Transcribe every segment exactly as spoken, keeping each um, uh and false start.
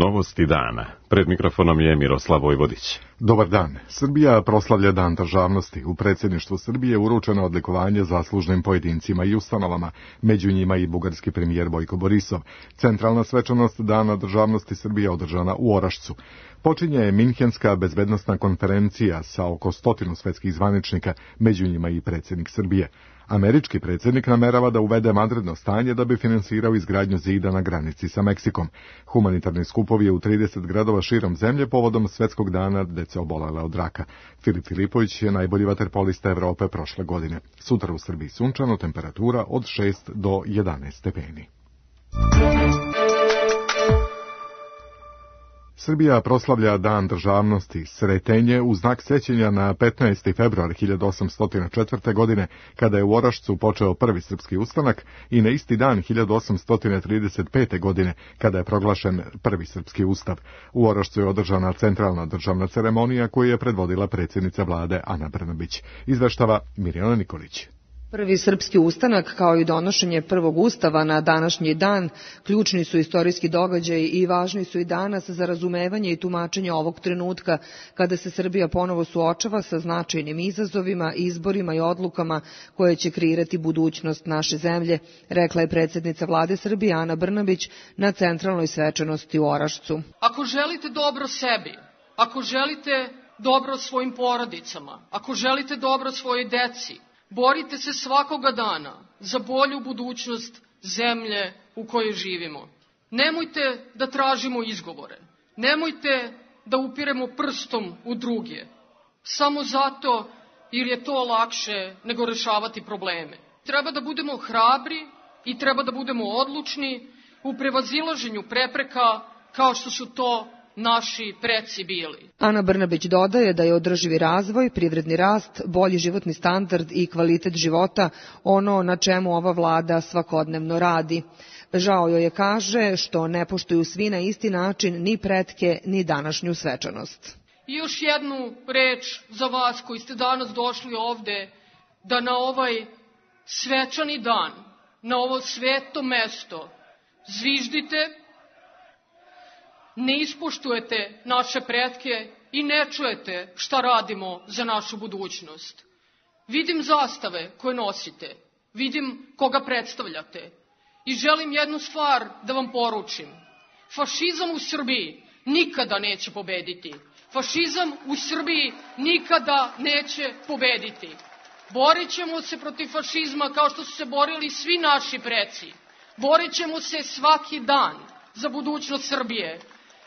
Novosti dana. Pred mikrofonom je Miroslav Vojvodić. Dobar dan. Srbija proslavlja Dan državnosti. U predsjedništvu Srbije uručeno odlikovanje zaslužnim pojedincima i ustanovama, među njima i bugarski premijer Bojko Borisov. Centralna svečanost Dana državnosti Srbije održana u Orašcu. Počinje Minhenska bezbednosna konferencija sa oko stotinu svetskih zvaničnika, među njima i predsjednik Srbije. Američki predsjednik namerava da uvede vanredno stanje da bi finansirao izgradnju zida na granici sa Meksikom. Humanitarni skupovi u trideset gradova širom zemlje povodom Svetskog dana dece obolele od raka. Filip Filipović je najbolji vaterpolista Evrope prošle godine. Sutra u Srbiji sunčano, temperatura od šest do jedanaest stepeni. Srbija proslavlja Dan državnosti Sretenje u znak sećanja na petnaesti februar hiljadu osamsto četvrte. godine, kada je u Orašcu počeo prvi srpski ustanak, i na isti dan hiljadu osamsto trideset pete. godine, kada je proglašen prvi srpski ustav. U Orašcu je održana centralna državna ceremonija koju je predvodila predsjednica vlade Ana Brnabić. Izveštava Mirjana Nikolić. Prvi srpski ustanak, kao i donošenje prvog ustava na današnji dan, ključni su istorijski događaji i važni su i danas za razumevanje i tumačenje ovog trenutka, kada se Srbija ponovo suočava sa značajnim izazovima, izborima i odlukama koje će kreirati budućnost naše zemlje, rekla je predsjednica vlade Srbije Ana Brnabić na centralnoj svečanosti u Orašcu. Ako želite dobro sebi, ako želite dobro svojim porodicama, ako želite dobro svojoj deci, borite se svakoga dana za bolju budućnost zemlje u kojoj živimo. Nemojte da tražimo izgovore. Nemojte da upiremo prstom u druge. Samo zato jer je to lakše nego rešavati probleme. Treba da budemo hrabri i treba da budemo odlučni u prevazilaženju prepreka kao što su to naši preci bili. Ana Brnabić dodaje da je održivi razvoj, privredni rast, bolji životni standard i kvalitet života ono na čemu ova vlada svakodnevno radi. Žao joj je, kaže, što ne poštuju svi na isti način ni pretke ni današnju svečanost. I još jednu reč za vas koji ste danas došli ovde, da na ovaj svečani dan, na ovo sveto mesto zviždite, ne ispoštujete naše pretke i ne čujete šta radimo za našu budućnost. Vidim zastave koje nosite, vidim koga predstavljate i želim jednu stvar da vam poručim. Fašizam u Srbiji nikada neće pobediti. Fašizam u Srbiji nikada neće pobediti. Borit ćemo se protiv fašizma kao što su se borili svi naši preci. Borit ćemo se svaki dan za budućnost Srbije.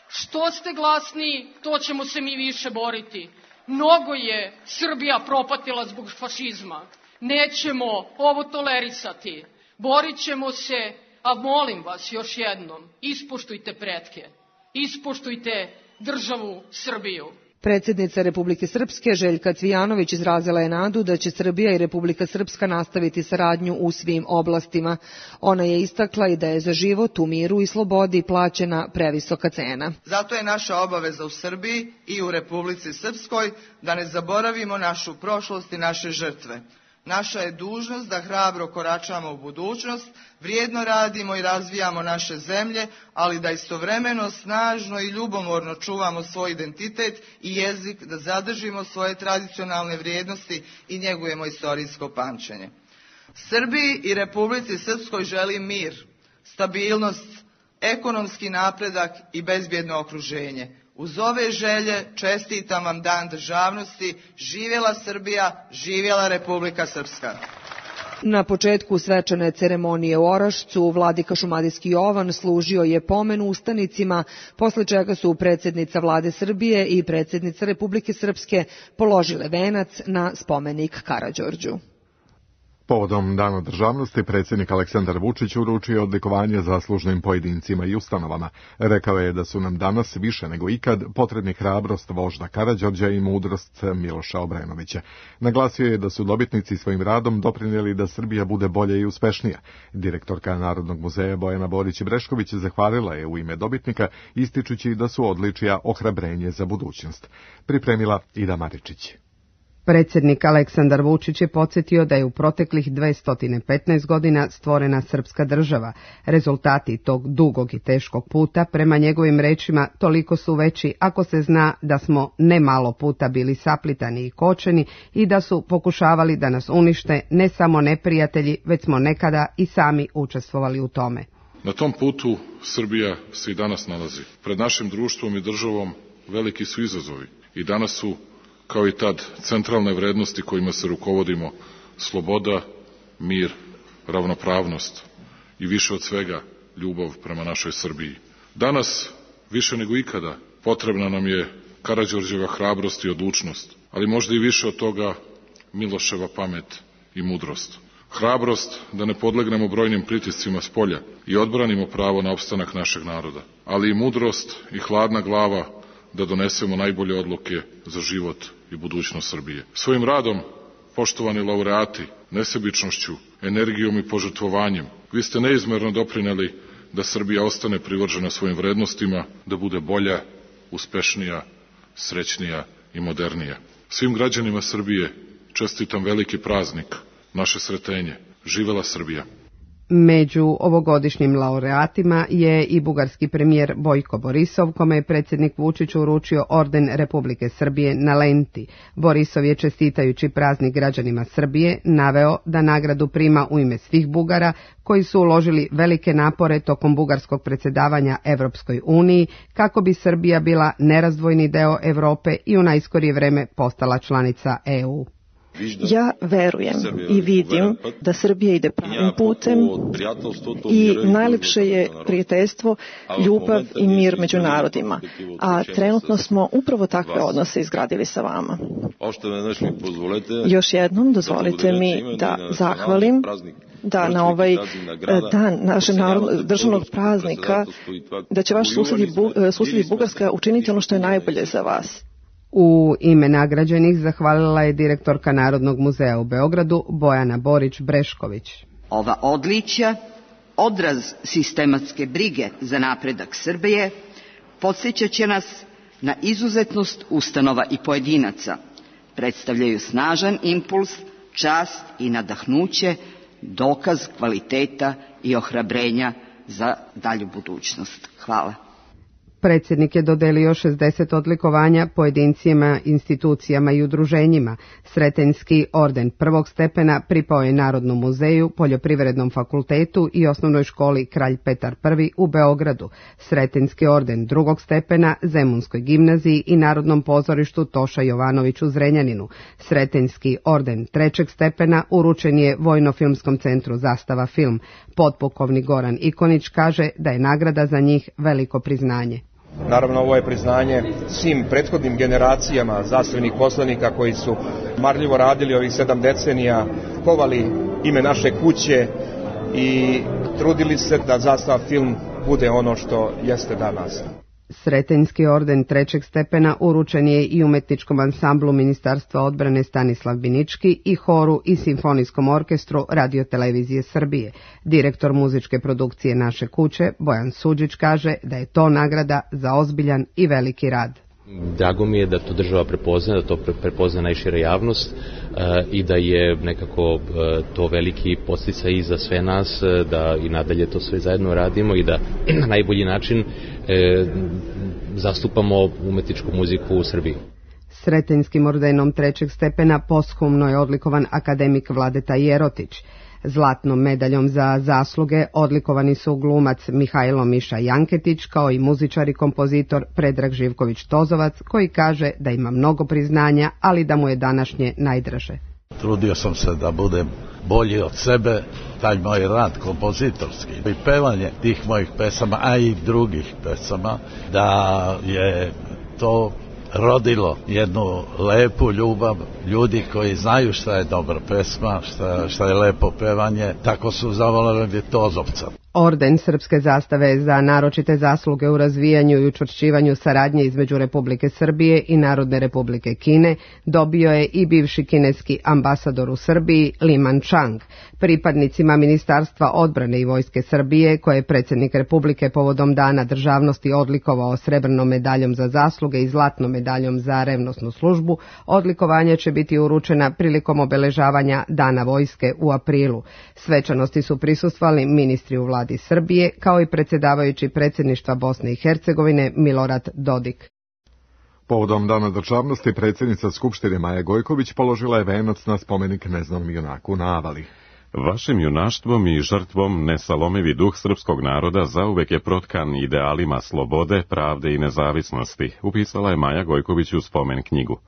Što ste glasniji, to ćemo se mi više boriti. Mnogo je Srbija propatila zbog fašizma. Nećemo ovo tolerisati. Borit ćemo se, a molim vas još jednom, ispoštujte pretke. Ispoštujte državu Srbiju. Predsjednica Republike Srpske Željka Cvijanović izrazila je nadu da će Srbija i Republika Srpska nastaviti saradnju u svim oblastima. Ona je istakla i da je za život u miru i slobodi plaćena previsoka cena. Zato je naša obaveza u Srbiji i u Republici Srpskoj da ne zaboravimo našu prošlost i naše žrtve. Naša je dužnost da hrabro koračamo u budućnost, vrijedno radimo i razvijamo naše zemlje, ali da istovremeno snažno i ljubomorno čuvamo svoj identitet i jezik, da zadržimo svoje tradicionalne vrijednosti i njegujemo istorijsko pamćenje. Srbiji i Republici Srpskoj želim mir, stabilnost, ekonomski napredak i bezbjedno okruženje. Uz ove želje čestitam vam Dan državnosti. Živjela Srbija, živjela Republika Srpska. Na početku svečane ceremonije u Orašcu vladika Šumadijski Jovan služio je pomen ustanicima, posle čega su predsjednica vlade Srbije i predsjednica Republike Srpske položile venac na spomenik Karađorđu. Povodom Dana državnosti predsjednik Aleksandar Vučić uručio odlikovanje zaslužnim pojedincima i ustanovama. Rekao je da su nam danas više nego ikad potrebni hrabrost vožda Karađorđa i mudrost Miloša Obrenovića. Naglasio je da su dobitnici svojim radom doprinijeli da Srbija bude bolja i uspešnija. Direktorka Narodnog muzeja Bojana Borić-Brešković zahvalila je u ime dobitnika, ističući da su odličija ohrabrenje za budućnost. Pripremila Ida Maričić. Predsjednik Aleksandar Vučić je podsjetio da je u proteklih dvesta petnaest godina stvorena srpska država. Rezultati tog dugog i teškog puta, prema njegovim rečima, toliko su veći ako se zna da smo ne malo puta bili saplitani i kočeni i da su pokušavali da nas unište ne samo neprijatelji, već smo nekada i sami učestvovali u tome. Na tom putu Srbija se i danas nalazi. Pred našim društvom i državom veliki su izazovi i danas su, kao i tad, centralne vrednosti kojima se rukovodimo: sloboda, mir, ravnopravnost i više od svega ljubav prema našoj Srbiji. Danas, više nego ikada, potrebna nam je Karađorđeva hrabrost i odlučnost, ali možda i više od toga Miloševa pamet i mudrost. Hrabrost da ne podlegnemo brojnim pritiscima spolja i odbranimo pravo na opstanak našeg naroda, ali i mudrost i hladna glava da donesemo najbolje odluke za život i budućnost Srbije. Svojim radom, poštovani laureati, nesebičnošću, energijom i požrtvovanjem, vi ste neizmerno doprineli da Srbija ostane privržena svojim vrednostima, da bude bolja, uspešnija, srećnija i modernija. Svim građanima Srbije čestitam veliki praznik, naše sretenje. Živela Srbija! Među ovogodišnjim laureatima je i bugarski premijer Bojko Borisov, kome je predsjednik Vučić uručio orden Republike Srbije na lenti. Borisov je, čestitajući praznik građanima Srbije, naveo da nagradu prima u ime svih Bugara koji su uložili velike napore tokom bugarskog predsjedavanja Evropskoj uniji kako bi Srbija bila nerazdvojni deo Europe i u najskorije vreme postala članica E U. Ja verujem i vidim da Srbija ide pravim putem i najlepše je prijateljstvo, ljubav i mir među narodima, a trenutno smo upravo takve odnose izgradili sa vama. Još jednom dozvolite mi da zahvalim da na ovaj dan našeg državnog praznika da će vaš susjed i Bugarska učiniti ono što je najbolje za vas. U ime nagrađenih zahvalila je direktorka Narodnog muzeja u Beogradu Bojana Borić-Brešković. Ova odličja, odraz sistematske brige za napredak Srbije, podsjećat će nas na izuzetnost ustanova i pojedinaca, predstavljaju snažan impuls, čast i nadahnuće, dokaz kvaliteta i ohrabrenja za dalju budućnost. Hvala. Predsjednik je dodelio šezdeset odlikovanja pojedincima, institucijama i udruženjima. Sretenjski orden prvog stepena pripao je Narodnom muzeju, Poljoprivrednom fakultetu i osnovnoj školi Kralj Petar Prvi u Beogradu. Sretenjski orden drugog stepena Zemunskoj gimnaziji i Narodnom pozorištu Toša Jovanović u Zrenjaninu. Sretenjski orden trećeg stepena uručen je Vojno-filmskom centru Zastava film. Potpukovnik Goran Ikonić kaže da je nagrada za njih veliko priznanje. Naravno, ovo je priznanje svim prethodnim generacijama zastavnih poslanika koji su marljivo radili ovih sedam decenija, kovali ime naše kuće i trudili se da Zastava film bude ono što jeste danas. Sretenjski orden trećeg stepena uručen je i umetničkom ansamblu Ministarstva odbrane Stanislav Binički i horu i simfonijskom orkestru Radio-televizije Srbije. Direktor muzičke produkcije Naše kuće, Bojan Suđić, kaže da je to nagrada za ozbiljan i veliki rad. Drago mi je da to država prepozna, da to prepozna najšira javnost i da je nekako to veliki podsticaj i za sve nas, da i nadalje to sve zajedno radimo i da na najbolji način zastupamo umetničku muziku u Srbiji. Sretenjskim ordenom trećeg stepena posthumno je odlikovan akademik Vladeta Jerotić. Zlatnom medaljom za zasluge odlikovani su glumac Mihajlo Miša Janketić kao i muzičar i kompozitor Predrag Živković-Tozovac, koji kaže da ima mnogo priznanja, ali da mu je današnje najdraže. Trudio sam se da budem bolji od sebe, taj moj rad kompozitorski i pevanje tih mojih pesama, a i drugih pesama, da je to rodilo jednu lepu ljubav ljudi koji znaju šta je dobra pesma, šta, šta je lepo pevanje, tako su zavoleli Tozovca. Orden srpske zastave za naročite zasluge u razvijanju i učvršćivanju saradnje između Republike Srbije i Narodne Republike Kine dobio je i bivši kineski ambasador u Srbiji Liman Chang. Pripadnicima Ministarstva odbrane i Vojske Srbije, koje je predsjednik Republike povodom Dana državnosti odlikovao srebrnom medaljom za zasluge i zlatnom medaljom za revnosnu službu, odlikovanja će biti uručena prilikom obeležavanja Dana vojske u aprilu. Svečanosti su prisustvovali ministri u vladi Srbije, kao i predsjedavajući predsjedništva Bosne i Hercegovine Milorad Dodik. Povodom Dana državnosti predsjednica Skupštine Maja Gojković položila je venac na spomenik neznanom junaku na Avali. Vašim junaštvom i žrtvom nesalomivi duh srpskog naroda zauvek je protkan idealima slobode, pravde i nezavisnosti, upisala je Maja Gojković u spomen knjigu.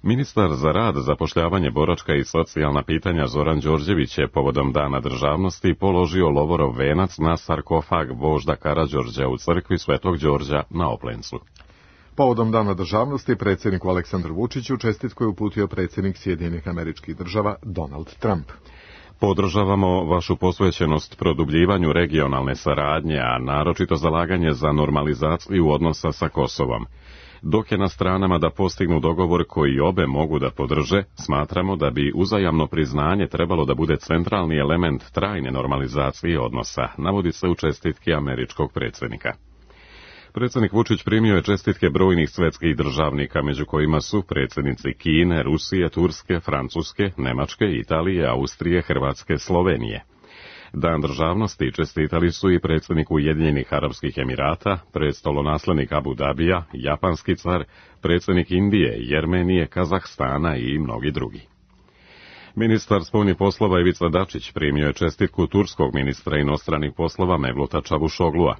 Ministar za rad, zapošljavanje, boračka i socijalna pitanja Zoran Đorđević je povodom Dana državnosti položio lovorov venac na sarkofag vožda Karađorđa u crkvi Svetog Đorđa na Oplencu. Povodom Dana državnosti predsjedniku Aleksandru Vučiću čestitku je uputio predsjednik Sjedinjenih Američkih Država Donald Trump. Podržavamo vašu posvećenost produbljivanju regionalne saradnje, a naročito zalaganje za normalizaciju odnosa sa Kosovom. Dok je na stranama da postignu dogovor koji obe mogu da podrže, smatramo da bi uzajamno priznanje trebalo da bude centralni element trajne normalizacije odnosa, navodi se u čestitki američkog predsjednika. Predsjednik Vučić primio je čestitke brojnih svetskih državnika, među kojima su predsjednici Kine, Rusije, Turske, Francuske, Nemačke, Italije, Austrije, Hrvatske, Slovenije. Dan državnosti čestitali su i predsjednik Ujedinjenih Arapskih Emirata, prestolonaslednik Abu Dabija, japanski car, predsjednik Indije, Jermenije, Kazahstana i mnogi drugi. Ministar spoljnih poslova Ivica Dačić primio je čestitku turskog ministra inostranih poslova Mevluta Čavuşoglua.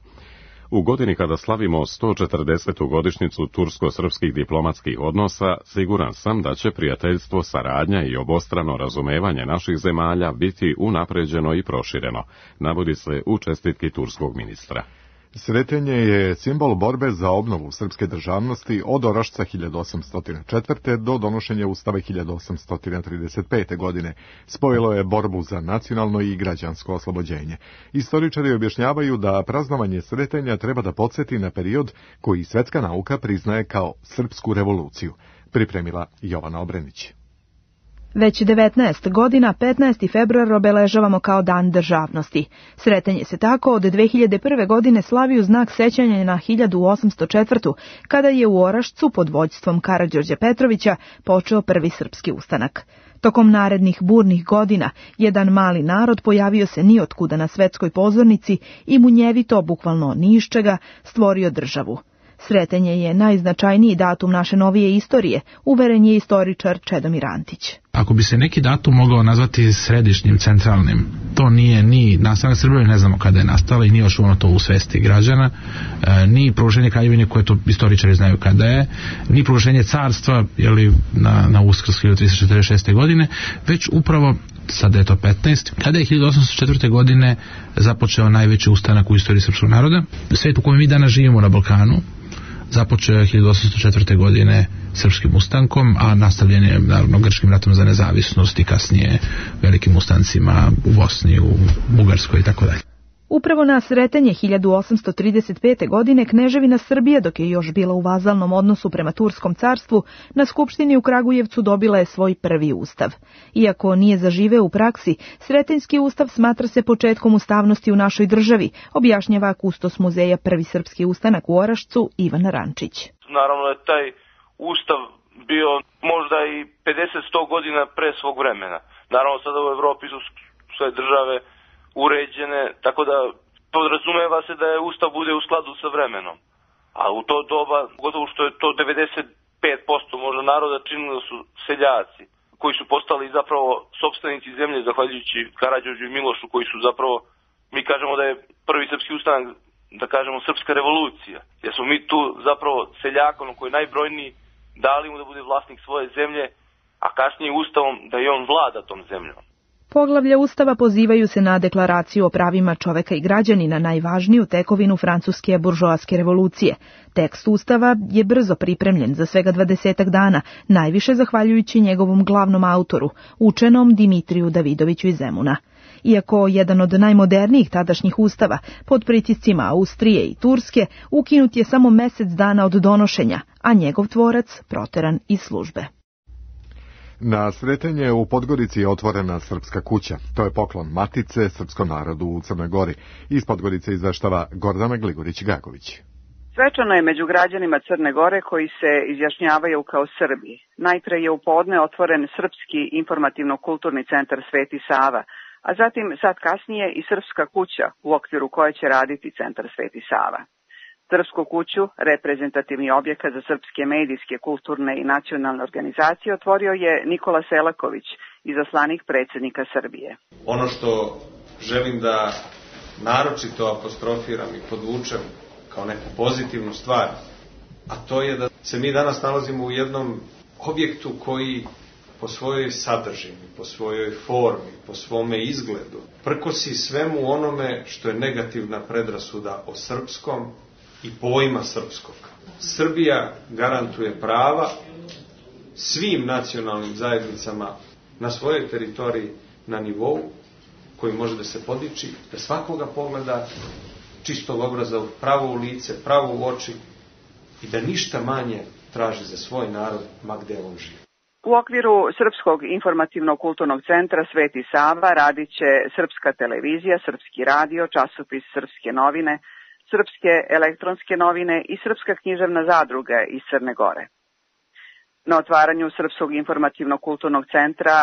U godini kada slavimo sto četrdesetu godišnjicu tursko-srpskih diplomatskih odnosa, siguran sam da će prijateljstvo, saradnja i obostrano razumevanje naših zemalja biti unapređeno i prošireno, navodi se u čestitki turskog ministra. Sretenje je simbol borbe za obnovu srpske državnosti od Orašca hiljadu osamsto četvrte. do donošenja Ustava hiljadu osamsto trideset pete. godine. Spojilo je borbu za nacionalno i građansko oslobođenje. Istoričari objašnjavaju da praznovanje Sretenja treba da podsjeti na period koji svetska nauka priznaje kao srpsku revoluciju. Pripremila Jovana Obrenić. Već devetnaest godina, petnaesti februar obeležavamo kao Dan državnosti. Sretenje se tako od dve hiljade prve. godine slavi u znak sećanja na hiljadu osamsto četvrtu. kada je u Orašcu pod vođstvom Karađorđa Petrovića počeo prvi srpski ustanak. Tokom narednih burnih godina, jedan mali narod pojavio se nijotkuda na svetskoj pozornici i munjevito, bukvalno ni iz čega, stvorio državu. Sretenje je najznačajniji datum naše novije istorije, uveren je istoričar Čedomir Antić. Ako bi se neki datum mogao nazvati središnjim, centralnim, to nije ni nastanak Srbije, ne znamo kada je nastala i nije još ono to u svesti građana, e, ni proglašenje kraljevine koje to istoričari znaju kada je, ni proglašenje carstva jeli, na, na Uskrs hiljadu tristo četrdeset šeste. godine, već upravo sada je to petnaest, kada je hiljadu osamsto četvrte. godine započeo najveći ustanak u istoriji srpskog naroda. Svet u kojem mi danas živimo na Balkanu započeo je hiljadu osamsto četvrte. godine srpskim ustankom, a nastavljen je naravno grčkim ratom za nezavisnost i kasnije velikim ustancima u Bosni, u Bugarskoj i tako dalje. Upravo na Sretenje hiljadu osamsto trideset pete. godine kneževina Srbije, dok je još bila u vazalnom odnosu prema Turskom carstvu, na Skupštini u Kragujevcu dobila je svoj prvi ustav. Iako nije zaživeo u praksi, Sretenjski ustav smatra se početkom ustavnosti u našoj državi, objašnjava kustos muzeja Prvi srpski ustanak u Orašcu Ivan Rančić. Naravno je taj ustav bio možda i pedeset do sto godina pre svog vremena. Naravno sada u Evropi su sve države uređene, tako da podrazumeva se da je ustav bude u skladu sa vremenom. A u to doba, gotovo što je to devedeset pet posto možda naroda činilo su seljaci, koji su postali zapravo sopstvenici zemlje zahvaljujući Karađorđu i Milošu, koji su zapravo, mi kažemo da je prvi srpski ustanak, da kažemo srpska revolucija, jer smo mi tu zapravo seljakom koji je najbrojniji dali mu da bude vlasnik svoje zemlje, a kasnije ustavom da je on vlada tom zemljom. Poglavlja Ustava pozivaju se na deklaraciju o pravima čoveka i građanina, najvažniju tekovinu francuske buržoaske revolucije. Tekst Ustava je brzo pripremljen za svega dvadesetak dana, najviše zahvaljujući njegovom glavnom autoru, učenom Dimitriju Davidoviću iz Zemuna. iako jedan od najmodernijih tadašnjih ustava, pod pritiscima Austrije i Turske, ukinut je samo mesec dana od donošenja, a njegov tvorac proteran iz službe. Na Sretenje u Podgorici je otvorena Srpska kuća. To je poklon Matice srpskom narodu u Crnoj Gori. Iz Podgorice izveštava Gordana Gligorić-Gagović. Svečano je među građanima Crne Gore koji se izjašnjavaju kao Srbi. Najpre je u podne otvoren Srpski informativno-kulturni centar Sveti Sava, a zatim sad kasnije i Srpska kuća u okviru koje će raditi centar Sveti Sava. Srpsku kuću, reprezentativni objekat za srpske medijske, kulturne i nacionalne organizacije, otvorio je Nikola Selaković, izaslanik predsjednika Srbije. Ono što želim da naročito apostrofiram i podvučem kao neku pozitivnu stvar, a to je da se mi danas nalazimo u jednom objektu koji po svojoj sadržini, po svojoj formi, po svome izgledu, prkosi svemu onome što je negativna predrasuda o srpskom i pojma srpskog. Srbija garantuje prava svim nacionalnim zajednicama na svojoj teritoriji na nivou koji može da se podiči, da svakoga pogleda čistog obraza pravo u lice, pravo u oči i da ništa manje traži za svoj narod, ma gde on živi. U okviru Srpskog informativno-kulturnog centra Sveti Sava radit će Srpska televizija, Srpski radio, časopis Srpske novine, Srpske elektronske novine i Srpska književna zadruga iz Crne Gore. Na otvaranju Srpskog informativno-kulturnog centra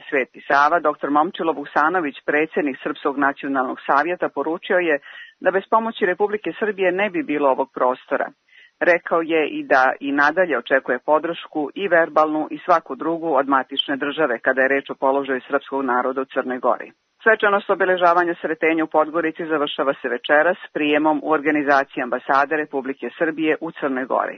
Sveti Sava, doktor Momčilo Vuksanović, predsjednik Srpskog nacionalnog savjeta, poručio je da bez pomoći Republike Srbije ne bi bilo ovog prostora. Rekao je i da i nadalje očekuje podršku i verbalnu i svaku drugu od matične države kada je reč o položaju srpskog naroda u Crnoj Gori. Svečanost obeležavanja Sretenja u Podgorici završava se večeras prijemom u organizaciji ambasade Republike Srbije u Crnoj Gori.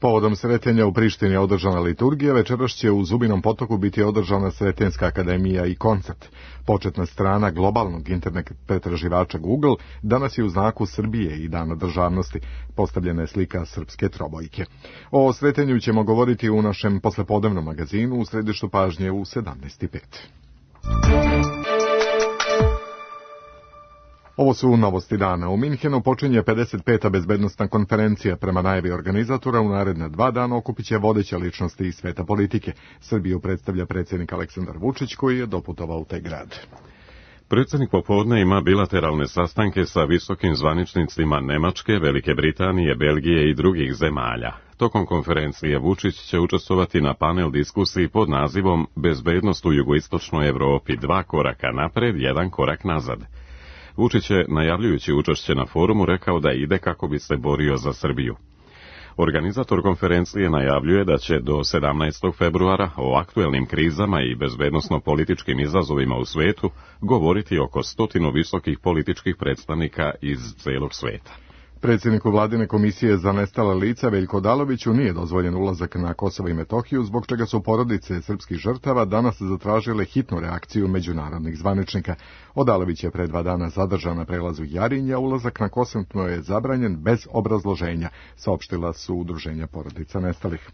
Povodom Sretenja u Prištini je održana liturgija, večeras će u Zubinom Potoku biti održana Sretenjska akademija i koncert. Početna strana globalnog internet pretraživača Google danas je u znaku Srbije i Dana državnosti. Postavljena je slika srpske trobojke. O Sretenju ćemo govoriti u našem poslepodnevnom magazinu u središtu pažnje u sedamnaest i pet. Ovo su novosti dana. U Minhenu počinje pedeset peta bezbednostna konferencija. Prema najavi organizatora u naredne dva dana okupit će vodeće ličnosti iz sveta politike. Srbiju predstavlja predsjednik Aleksandar Vučić koji je doputovao u taj grad. Predsjednik popodne ima bilateralne sastanke sa visokim zvaničnicima Nemačke, Velike Britanije, Belgije i drugih zemalja. Tokom konferencije Vučić će učestvovati na panel diskusiji pod nazivom Bezbednost u jugoistočnoj Evropi, dva koraka napred, jedan korak nazad. Vučić je, najavljujući učešće na forumu, rekao da ide kako bi se borio za Srbiju. Organizator konferencije najavljuje da će do sedamnaestog februara o aktuelnim krizama i bezbednosno-političkim izazovima u svetu govoriti oko stotinu visokih političkih predstavnika iz celog sveta. Predsjedniku Vladine komisije za nestala lica Veljko Odaloviću nije dozvoljen ulazak na Kosovo i Metohiju, zbog čega su porodice srpskih žrtava danas zatražile hitnu reakciju međunarodnih zvaničnika. Odalović je pre dva dana zadržan na prelazu Jarinja, ulazak na Kosovo je zabranjen bez obrazloženja, saopštila su udruženja porodica nestalih.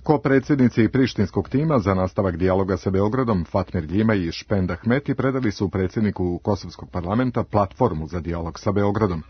Ko predsjednici prištinskog tima za nastavak dijaloga sa Beogradom, Fatmir Ljima i Špend Ahmeti predali su predsjedniku Kosovskog parlamenta platformu za dijalog sa Beogradom.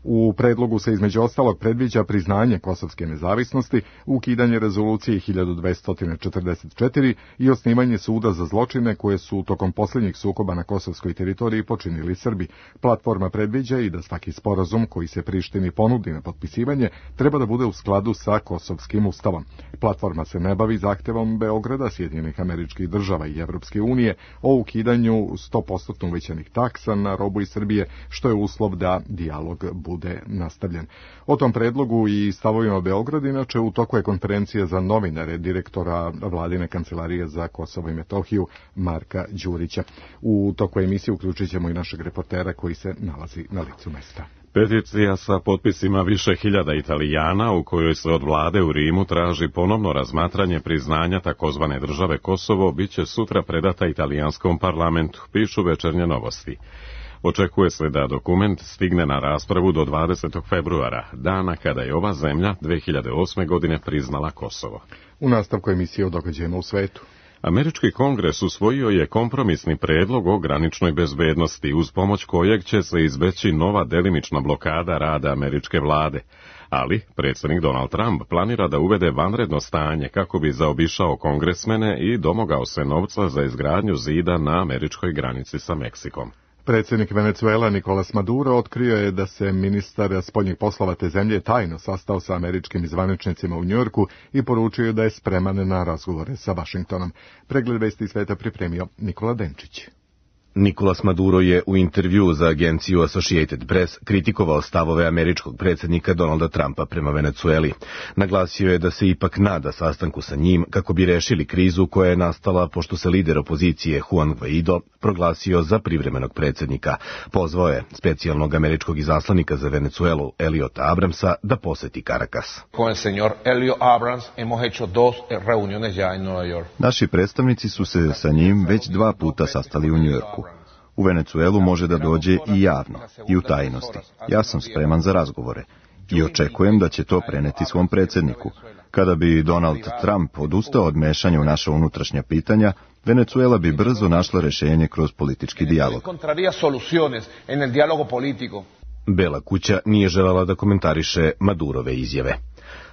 U predlogu se između ostalog predviđa priznanje kosovske nezavisnosti, ukidanje rezolucije hiljadu dvesta četrdeset četiri i osnivanje suda za zločine koje su tokom posljednjih sukoba na kosovskoj teritoriji počinili Srbi. Platforma predviđa i da svaki sporazum koji se Prištini ponudi na potpisivanje treba da bude u skladu sa kosovskim ustavom. Platforma se ne bavi zahtevom Beograda, Sjedinjenih Američkih Država i Evropske unije o ukidanju sto posto uvećanih taksa na robu iz Srbije, što je uslov da dijalog bude nastavljen. O tom predlogu i stavovima Beograd, inače, u toku je konferencija za novinare direktora Vladine kancelarije za Kosovo i Metohiju Marka Đurića. U toku emisije uključit ćemo i našeg reportera koji se nalazi na licu mesta. Peticija sa potpisima više hiljada Italijana u kojoj se od vlade u Rimu traži ponovno razmatranje priznanja takozvane države Kosovo biće sutra predata italijanskom parlamentu, pišu Večernje novosti. Očekuje se da dokument stigne na raspravu do dvadesetog februara, dana kada je ova zemlja dve hiljade osme godine priznala Kosovo. U nastavku emisije o događajima u svetu. Američki kongres usvojio je kompromisni predlog o graničnoj bezbednosti, uz pomoć kojeg će se izbeći nova delimična blokada rada američke vlade. Ali predsjednik Donald Trump planira da uvede vanredno stanje kako bi zaobišao kongresmene i domogao se novca za izgradnju zida na američkoj granici sa Meksikom. Predsjednik Venezuela Nicolas Maduro otkrio je da se ministar spoljnih poslova te zemlje tajno sastao sa američkim zvaničnicima u Njujorku i poručio da je spreman na razgovore sa Vašingtonom. Pregled vesti sveta pripremio Nikola Denčić. Nicolas Maduro je u intervju za agenciju Associated Press kritikovao stavove američkog predsjednika Donalda Trumpa prema Venezueli. Naglasio je da se ipak nada sastanku sa njim kako bi rešili krizu koja je nastala pošto se lider opozicije Juan Guaido proglasio za privremenog predsjednika. Pozvao je specijalnog američkog izaslanika za Venezuelu Eliota Abramsa da poseti Caracas. Con el señor Elliot Abrams hemos hecho dos reuniones ya en Nueva York. Naši predstavnici su se sa njim već dva puta sastali u Njujorku. U Venezuelu može da dođe i javno, i u tajnosti. Ja sam spreman za razgovore i očekujem da će to preneti svom predsjedniku. Kada bi Donald Trump odustao od mešanja u naša unutrašnja pitanja, Venezuela bi brzo našla rešenje kroz politički dijalog. Bela kuća nije željela da komentariše Madurove izjave.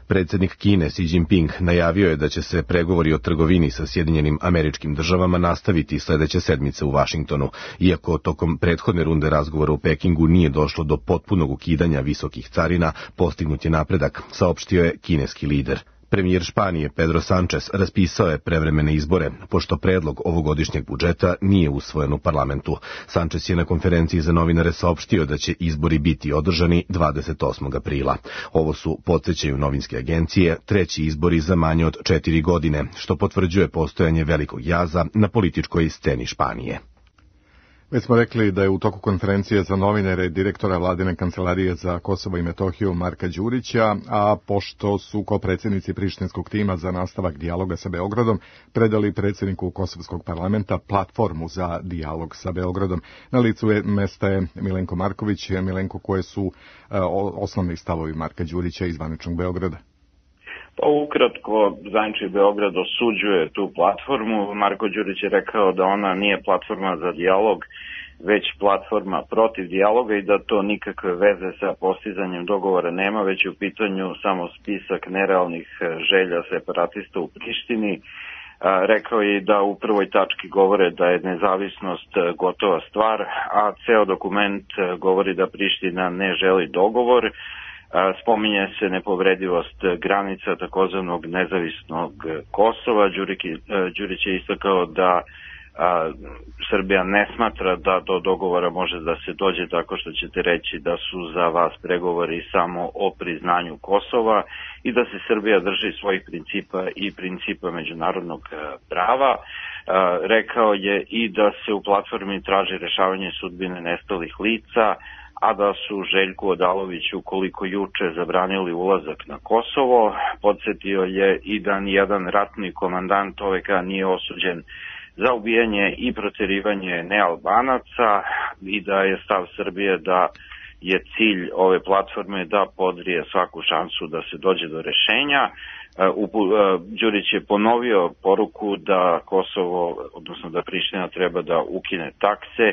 Predsjednik Kine Xi Jinping najavio je da će se pregovori o trgovini sa Sjedinjenim Američkim Državama nastaviti sljedeće sedmice u Vašingtonu, iako tokom prethodne runde razgovora u Pekingu nije došlo do potpunog ukidanja visokih carina, postignut je napredak, saopštio je kineski lider. Premijer Španije Pedro Sánchez raspisao je prevremene izbore, pošto predlog ovogodišnjeg budžeta nije usvojen u parlamentu. Sánchez je na konferenciji za novinare saopštio da će izbori biti održani dvadeset osmog aprila. Ovo su, podsjećaju novinske agencije, treći izbori za manje od četiri godine, što potvrđuje postojanje velikog jaza na političkoj sceni Španije. Već smo rekli da je u toku konferencije za novinare direktora Vladine kancelarije za Kosovo i Metohiju Marka Đurića, a pošto su kopredsjednici prištinskog tima za nastavak dijaloga sa Beogradom predali predsjedniku Kosovskog parlamenta platformu za dijalog sa Beogradom. Na licu je mesta je Milenko Marković. Milenko, koje su uh, osnovni stavovi Marka Đurića iz zvaničnog Beograda? Pa ukratko, zvanični Beograd osuđuje tu platformu. Marko Đurić je rekao da ona nije platforma za dijalog, već platforma protiv dijaloga i da to nikakve veze sa postizanjem dogovora nema, već je u pitanju samo spisak nerealnih želja separatista u Prištini. Rekao je da u prvoj tački govore da je nezavisnost gotova stvar, a ceo dokument govori da Priština ne želi dogovor. Spominje se nepovredivost granica takozvanog nezavisnog Kosova. Đurić je istakao da a, Srbija ne smatra da do dogovora može da se dođe tako što ćete reći da su za vas pregovori samo o priznanju Kosova i da se Srbija drži svojih principa i principa međunarodnog prava. A, rekao je i da se u platformi traži rešavanje sudbine nestalih lica, a da su Željku Odaloviću koliko juče zabranili ulazak na Kosovo. Podsjetio je i da nijedan ratni komandant O V K nije osuđen za ubijanje i proterivanje nealbanaca i da je stav Srbije da je cilj ove platforme da podrije svaku šansu da se dođe do rešenja. Đurić je ponovio poruku da Kosovo, odnosno da Priština treba da ukine takse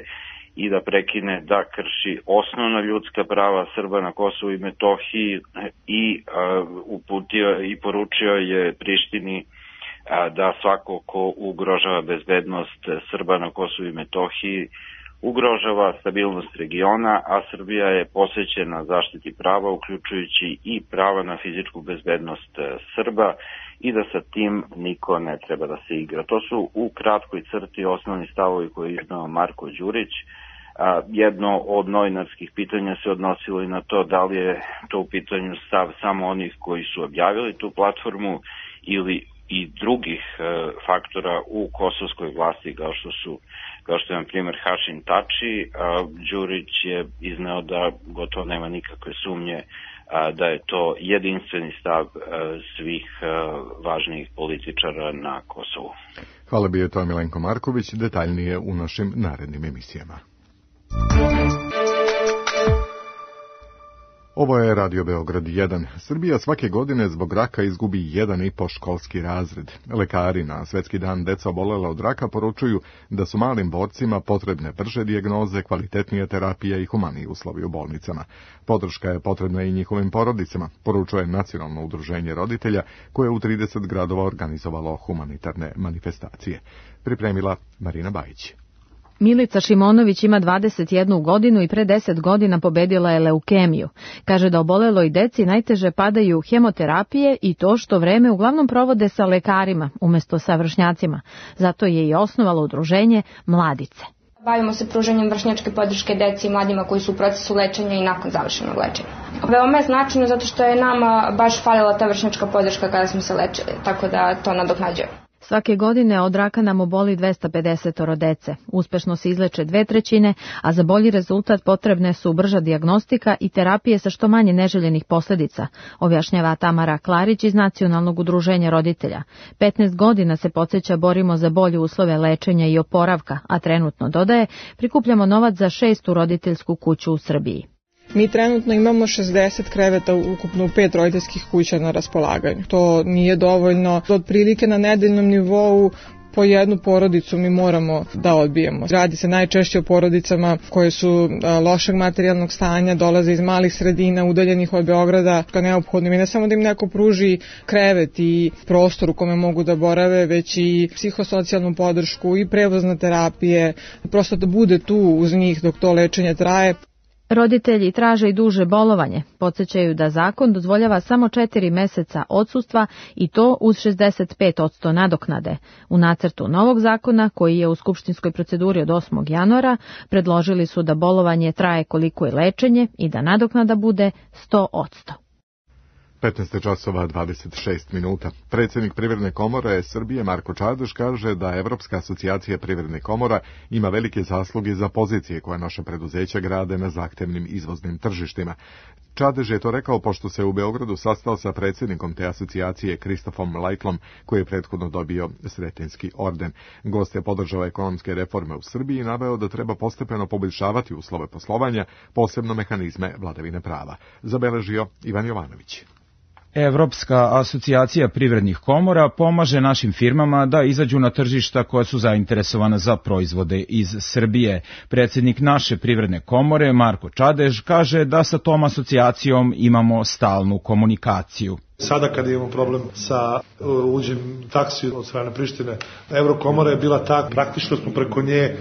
i da prekine da krši osnovna ljudska prava Srba na Kosovu i Metohiji i uh, uputio i poručio je Prištini uh, da svako ko ugrožava bezbednost Srba na Kosovu i Metohiji ugrožava stabilnost regiona, a Srbija je posvećena zaštiti prava, uključujući i prava na fizičku bezbednost Srba i da sa tim niko ne treba da se igra. To su u kratkoj crti osnovni stavovi koje je iznao Marko Đurić. A, jedno od novinarskih pitanja se odnosilo i na to da li je to u pitanju stav samo onih koji su objavili tu platformu ili i drugih e, faktora u kosovskoj vlasti kao što su kao što je na primjer Hašim Tači. A, Đurić je izneo da gotovo nema nikakve sumnje a, da je to jedinstveni stav a, svih a, važnijih političara na Kosovu. Hvala, bio je to Milenko Marković, detaljnije u našim narednim emisijama. Ovo je Radio Beograd jedan. Srbija svake godine zbog raka izgubi jedan i po školski razred. Lekari na Svetski dan deca obolela od raka poručuju da su malim borcima potrebne brže dijagnoze, kvalitetnije terapije i humaniji uslovi u bolnicama. Podrška je potrebna i njihovim porodicama, poručuje Nacionalno udruženje roditelja koje je u trideset gradova organizovalo humanitarne manifestacije. Pripremila Marina Bajić. Milica Šimonović ima dvadeset jednu godinu i pre deset godina pobedila je leukemiju. Kaže da oboleloj deci najteže padaju hemoterapije i to što vreme uglavnom provode sa lekarima umjesto sa vršnjacima. Zato je i osnovalo udruženje Mladice. Bavimo se pružanjem vršnjačke podrške deci i mladima koji su u procesu lečenja i nakon završenog lečenja. Veoma je značajno zato što je nama baš falila ta vršnjačka podrška kada smo se lečili, tako da to nadoknađujemo. Svake godine od raka nam oboli dvesta pedeset dece. Uspešno se izleče dve trećine, a za bolji rezultat potrebne su brža dijagnostika i terapije sa što manje neželjenih posljedica, objašnjava Tamara Klarić iz Nacionalnog udruženja roditelja. petnaest godina se podsjeća borimo za bolje uslove lečenja i oporavka, a trenutno, dodaje, prikupljamo novac za šestu roditeljsku kuću u Srbiji. Mi trenutno imamo šezdeset kreveta ukupno u pet roditeljskih kuća na raspolaganju. To nije dovoljno. Otprilike na nedeljnom nivou po jednu porodicu mi moramo da odbijemo. Radi se najčešće o porodicama koje su lošeg materijalnog stanja, dolaze iz malih sredina, udaljenih od Beograda. Neophodno mi ne samo da im neko pruži krevet i prostor u kome mogu da borave, već i psihosocijalnu podršku i prevozne terapije, prosto da bude tu uz njih dok to lečenje traje. Roditelji traže i duže bolovanje. Podsjećaju da zakon dozvoljava samo četiri meseca odsustva i to uz šezdeset pet posto nadoknade. U nacrtu novog zakona, koji je u skupštinskoj proceduri od osmog januara, predložili su da bolovanje traje koliko je lečenje i da nadoknada bude sto posto. petnaest časova dvadeset šest minuta. Predsjednik Privredne komore Srbije Marko Čadež kaže da Evropska asocijacija privrednih komora ima velike zasluge za pozicije koje naše preduzeća grade na zahtevnim izvoznim tržištima. Čadež je to rekao pošto se u Beogradu sastao sa predsjednikom te asocijacije Kristofom Lajtlom, koji je prethodno dobio Sretenjski orden. Gost je podržao ekonomske reforme u Srbiji i naveo da treba postepeno poboljšavati uslove poslovanja, posebno mehanizme vladavine prava. Zabeležio Ivan Jovanović. Evropska asocijacija privrednih komora pomaže našim firmama da izađu na tržišta koja su zainteresovana za proizvode iz Srbije. Predsjednik naše privredne komore, Marko Čadež, kaže da sa tom asocijacijom imamo stalnu komunikaciju. Sada kada imamo problem sa uđem taksi od strane Prištine, Evrokomora je bila ta, praktično smo preko nje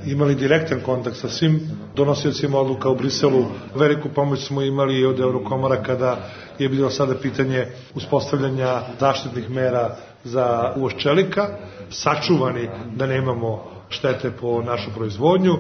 imali direktan kontakt sa svim donosiocima odluka u Briselu. Veliku pomoć smo imali od Evrokomora kada je bilo sada pitanje uspostavljanja zaštitnih mera za uvoz čelika, sačuvani da nemamo štete po našu proizvodnju.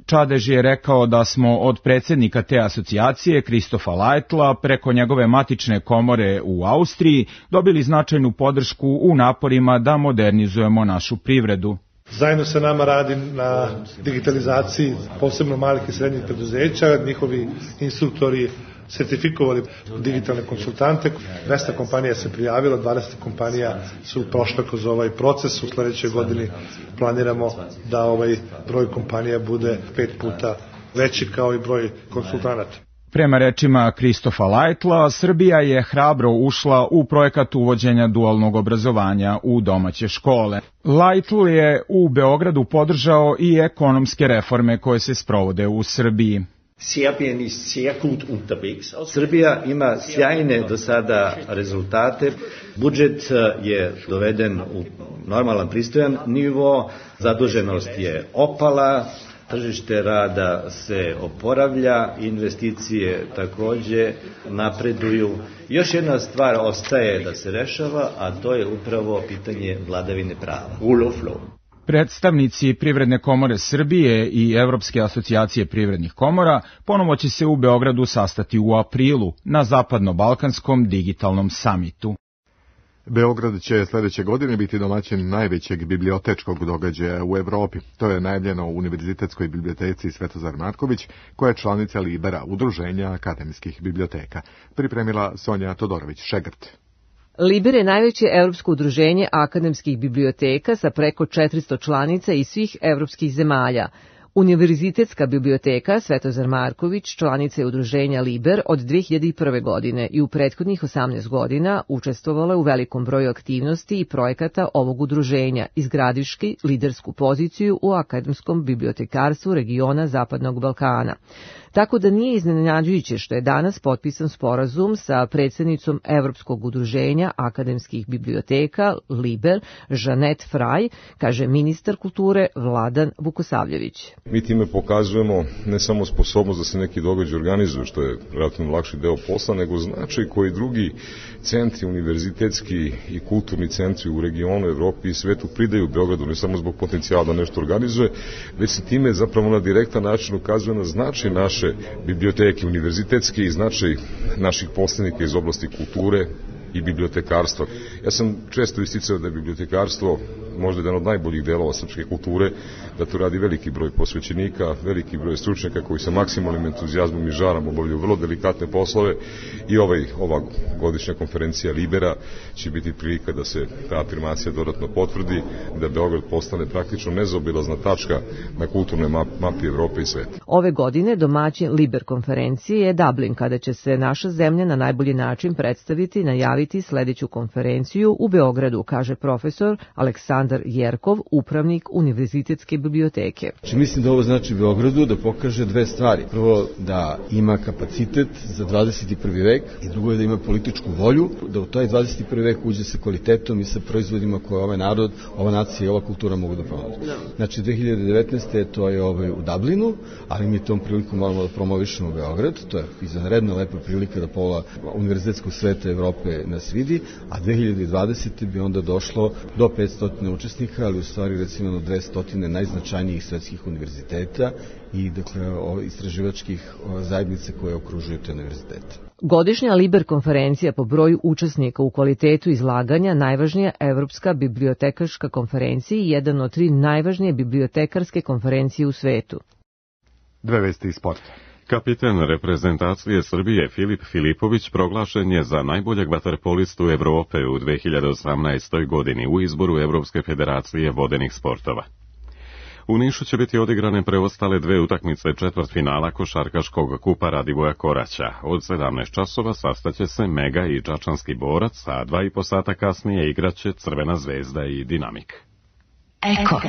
Čadež je rekao da smo od predsjednika te asocijacije, Kristofa Lajtla, preko njegove matične komore u Austriji, dobili značajnu podršku u naporima da modernizujemo našu privredu. Zajedno sa nama radi na digitalizaciji posebno malih i srednjih preduzeća, njihovi instruktori sertifikovali digitalne konsultante. dvesta kompanija se prijavilo, dvadeset kompanija su prošle kroz ovaj proces. U sljedećoj godini planiramo da ovaj broj kompanija bude pet puta veći kao i broj konsultanata. Prema rečima Kristofa Lajtla, Srbija je hrabro ušla u projekat uvođenja dualnog obrazovanja u domaće škole. Lajtl je u Beogradu podržao i ekonomske reforme koje se sprovode u Srbiji. Srbija ima sjajne do sada rezultate. Budžet je doveden u normalan, pristojan nivo, zaduženost je opala, tržište rada se oporavlja, investicije također napreduju. Još jedna stvar ostaje da se rešava, a to je upravo pitanje vladavine prava. Predstavnici Privredne komore Srbije i Evropske asocijacije privrednih komora ponovo će se u Beogradu sastati u aprilu na Zapadno-Balkanskom digitalnom samitu. Beograd će sljedeće godine biti domaćin najvećeg bibliotečkog događaja u Evropi. To je najavljeno u Univerzitetskoj biblioteci Svetozar Marković, koja je članica Libera, udruženja akademskih biblioteka. Pripremila Sonja Todorović-Šegrt. Liber je najveće evropsko udruženje akademskih biblioteka sa preko četiristo članica iz svih evropskih zemalja. Univerzitetska biblioteka Svetozar Marković članica je udruženja Liber od dve hiljade prve. godine i u prethodnih osamnaest godina učestvovala u velikom broju aktivnosti i projekata ovog udruženja, izgradivši lidersku poziciju u akademskom bibliotekarstvu regiona Zapadnog Balkana. Tako da nije iznenađujuće što je danas potpisan sporazum sa predsjednicom Evropskog udruženja akademskih biblioteka Liber, Žanet Fraj, kaže ministar kulture Vladan Vukosavljević. Mi time pokazujemo ne samo sposobnost da se neki događaj organizuju, što je relativno lakši deo posla, nego značaj koji drugi centri, univerzitetski i kulturni centri u regionu, Evropi i svetu pridaju Beogradu, ne samo zbog potencijala da nešto organizuje, već se time zapravo na direktan način ukazuje na značaj naše biblioteke univerzitetske i značaj naših poslenika iz oblasti kulture i bibliotekarstva. Ja sam često isticao da je bibliotekarstvo možda jedan od najboljih delova srpske kulture, da to radi veliki broj posvećenika, veliki broj stručnjaka koji sa maksimalnim entuzijazmom i žarom obavljaju vrlo delikatne poslove i ovaj, ova godišnja konferencija Libera će biti prilika da se ta afirmacija dodatno potvrdi, da Beograd postane praktično nezaobilazna tačka na kulturnoj mapi Evrope i sveta. Ove godine domaćin Liber konferencije je Dublin, kada će se naša zemlja na najbolji način predstaviti i najaviti sledeću konferenciju u Beogradu, kaže profesor Aleksandar Jerkov, upravnik Univerzitetske biblioteke. Znači, mislim da ovo znači Beogradu da pokaže dve stvari. Prvo, da ima kapacitet za dvadeset prvi vek i drugo je da ima političku volju, da u taj dvadeset prvi vek uđe sa kvalitetom i sa proizvodima koje ovaj narod, ova nacija i ova kultura mogu da promovi. Znači, dve hiljade devetnaeste. to je ovaj u Dublinu, ali mi tom prilikom moramo da promovišemo Beograd. To je izvanredna lepa prilika da pola univerzitetskog sveta Evrope nas vidi, a dve hiljade dvadesete. bi onda došlo do petsto učesnika, ali u stvari recimo na dvesta najznačajnijih svetskih univerziteta i dakle istraživačkih zajednice koje okružuju te univerzitete. Godišnja Liber konferencija po broju učesnika u kvalitetu izlaganja najvažnija Evropska bibliotekarska konferencija i jedan od tri najvažnije bibliotekarske konferencije u svetu. Dve vesti iz sporta. Kapiten reprezentacije Srbije Filip Filipović proglašen je za najboljeg vaterpolistu Evrope u dve hiljade osamnaestoj. godini u izboru Evropske federacije vodenih sportova. U Nišu će biti odigrane preostale dve utakmice četvrtfinala košarkaškog kupa Radivoja Koraća. Od sedamnaest časova sastaće se Mega i Čačanski borac, a dva i po sata kasnije igraće Crvena zvezda i Dinamik. Eko.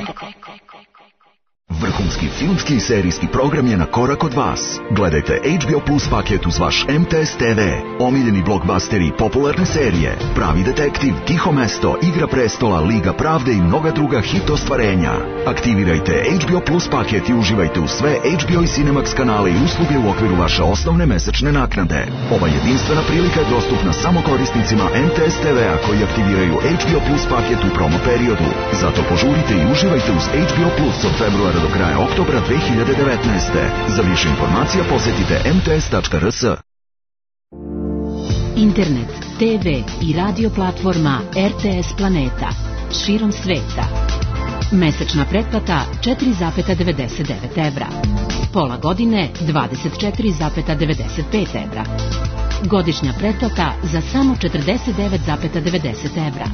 Vrhunski filmski i serijski program je na korak od vas. Gledajte H B O Plus paket uz vaš M T S T V, omiljeni blockbusteri i popularne serije, Pravi detektiv, Tiho mesto, Igra prestola, Liga pravde i mnoga druga hit ostvarenja. Aktivirajte H B O Plus paket i uživajte u sve H B O i Cinemax kanale i usluge u okviru vaše osnovne mesečne naknade. Ova jedinstvena prilika je dostupna samo korisnicima M T S T V-a koji aktiviraju H B O Plus paket u promo periodu. Zato požurite i uživajte uz H B O Plus od februara do kraja oktobra dve hiljade devetnaeste. Za više informacija posjetite m t s tačka r s. Internet, te ve i radio platforma R T S Planeta širom sveta. Mesečna pretplata četiri zarez devedeset devet evra. Pola godine dvadeset četiri zarez devedeset pet evra. Godišnja pretplata za samo četrdeset devet zarez devedeset evra.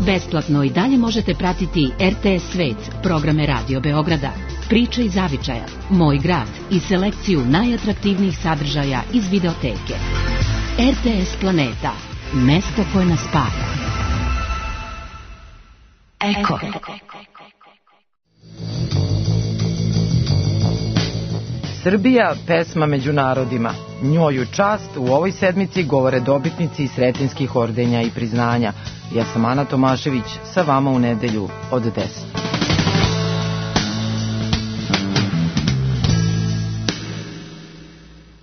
Besplatno i dalje možete pratiti R T S Svet, programe Radio Beograda, Priče iz Zavičaja, Moj grad i selekciju najatraktivnijih sadržaja iz videoteke. R T S Planeta, mesto koje nas spaja. Eko. Srbija, pesma među narodima. Njoj u čast u ovoj sedmici govore dobitnici Sretenjskih ordenja i priznanja. Ja sam Ana Tomašević, sa vama u nedelju od deset.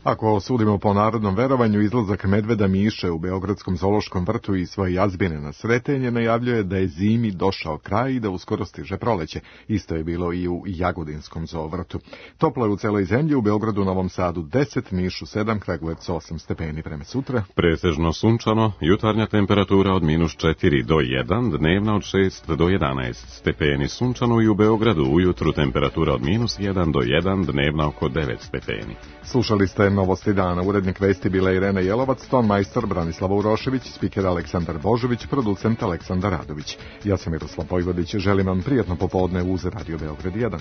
Ako sudimo po narodnom verovanju, izlazak medveda Miše u Beogradskom zoološkom vrtu i svoje jazbine na Sretenje najavljuje da je zimi došao kraj i da uskoro stiže proleće. Isto je bilo i u Jagodinskom zoovrtu. Toplo je u celoj zemlji, u Beogradu, Novom Sadu deset, Nišu sedam, Kragujevcu osam stepeni. Prema sutra pretežno sunčano, jutarnja temperatura od minus četiri do jedan, dnevna od šest do jedanaest stepeni. Sunčano i u Beogradu, ujutru temperatura od minus jedan do jedan, dnevna oko devet stepeni. Slušali ste novosti dana. Urednik vesti bila Irena Jelovac, ton majstor Branislava Urošević, spiker Aleksandar Božović, producent Aleksandar Radović. Ja sam Miroslav Vojvodić, želim vam prijatno popodne uz Radio Beograd jedan.